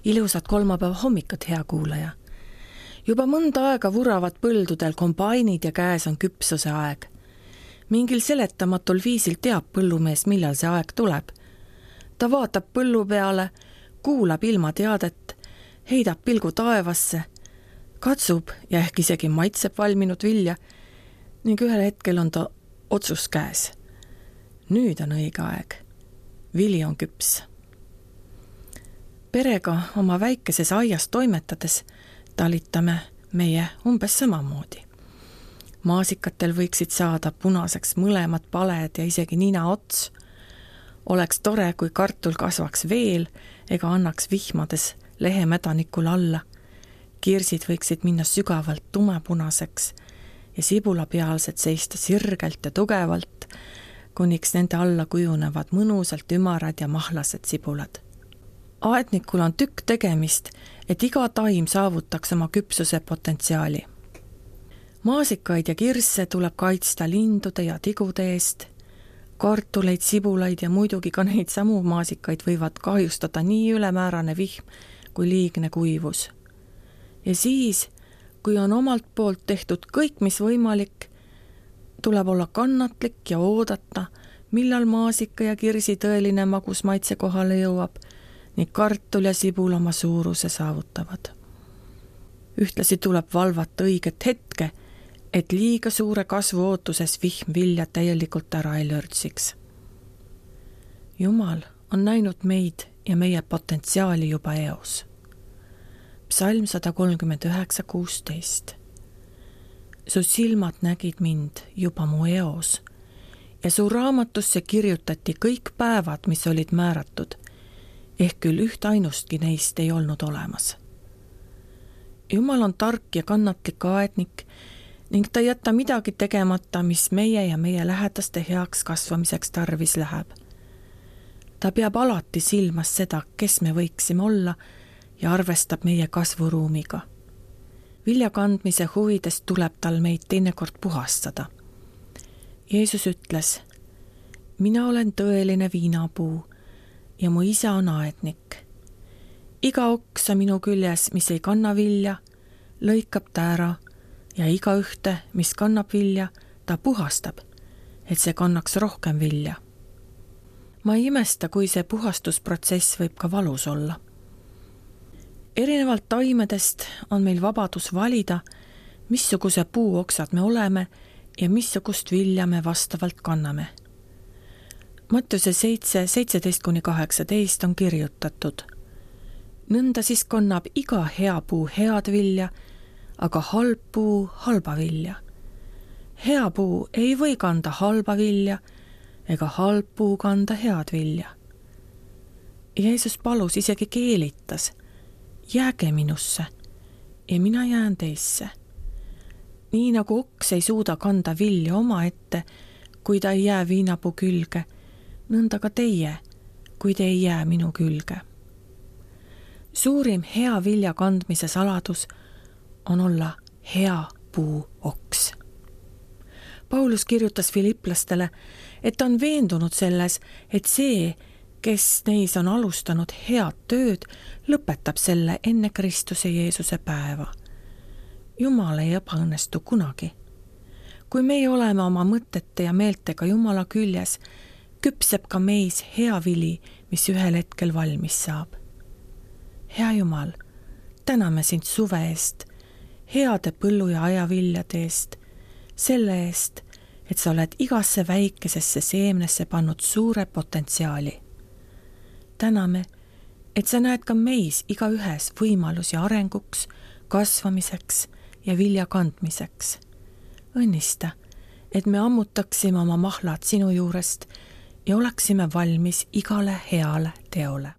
Ilusat kolmapäeva hommikut, hea kuulaja. Juba mõnda aega vuravad põldudel kombainid ja käes on küpsuse aeg. Mingil seletamatul viisil teab põllumees, millal see aeg tuleb. Ta vaatab põllu peale, kuulab ilmateadet, heidab pilgu taevasse, katsub ja ehk isegi maitseb valminud vilja ning ühel hetkel on ta otsus käes. Nüüd on õige aeg. Vili on küps. Perega oma väikeses aias toimetades talitame meie umbes samamoodi. Maasikatel võiksid saada punaseks mõlemad paled ja isegi nina ots. Oleks tore, kui kartul kasvaks veel ega annaks vihmades lehemädanikul alla. Kirsid võiksid minna sügavalt tumepunaseks ja sibulapealsed seista sirgelt ja tugevalt, kuniks nende alla kujunevad mõnusalt ümarad ja mahlased sibulad. Aednikul on tükk tegemist, et iga taim saavutaks oma küpsuse potentsiaali. Maasikaid ja kirsse tuleb kaitsta lindude ja tigude eest. Kartuleid, sibulaid ja muidugi ka neid samu maasikaid võivad kahjustada nii ülemäärane vihm kui liigne kuivus. Ja siis, kui on omalt poolt tehtud kõik, mis võimalik, tuleb olla kannatlik ja oodata, millal maasika ja kirsi tõeline magus maitse kohale jõuab ning kartul ja sibul oma suuruse saavutavad. Ühtlasi tuleb valvata õiget hetke, et liiga suure kasvu ootuses vihm vilja täielikult ära ei lörtsiks. Jumal on näinud meid ja meie potentsiaali juba eos. Psalm 139:16. Su silmad nägid mind juba mu eos ja su raamatusse kirjutati kõik päevad, mis olid määratud, ehk küll üht ainustki neist ei olnud olemas. Jumal on tark ja kannatlik aednik ning ta ei jäta midagi tegemata, mis meie ja meie lähedaste heaks kasvamiseks tarvis läheb. Ta peab alati silmas seda, kes me võiksime olla ja arvestab meie kasvuruumiga. Vilja kandmise huvides tuleb tal meid teinekord puhastada. Jeesus ütles, mina olen tõeline viinapuu ja mu isa on aednik. Iga oksa minu küljes, mis ei kanna vilja, lõikab ta ära ja iga ühte, mis kannab vilja, ta puhastab, et see kannaks rohkem vilja. Ma ei imesta, kui see puhastusprotsess võib ka valus olla. Erinevalt taimedest on meil vabadus valida, missuguse puuoksad me oleme ja missugust vilja me vastavalt kanname. Mattiuse 7:17-18 on kirjutatud. Nõnda siis kannab iga hea puu head vilja, aga halb puu halba vilja. Hea puu ei või kanda halba vilja ega halb puu kanda head vilja. Jeesus palus, isegi keelitas, jääge minusse ja mina jään teisse. Nii nagu oks ei suuda kanda vilja omaette, kui ta ei jää viinapuu külge, nõnda ka teie, kui te ei jää minu külge. Suurim hea vilja kandmise saladus on olla hea puuoks. Paulus kirjutas Filiplastele, et ta on veendunud selles, et see, kes neis on alustanud head tööd, lõpetab selle enne Kristuse Jeesuse päeva. Jumal ei ebaõnnestu kunagi. Kui meie oleme oma mõtete ja meeltega Jumala küljes, küpseb ka meis hea vili, mis ühel hetkel valmis saab. Hea Jumal, täname sind suve eest, heade põllu ja ajaviljade eest, selle eest, et sa oled igasse väikesesse seemnesse pannud suure potentsiaali. Täname, et sa näed ka meis iga ühes võimalusi arenguks, kasvamiseks ja vilja kandmiseks. Õnnista, et me ammutaksime oma mahlad sinu juurest ja oleksime valmis igale heale teole.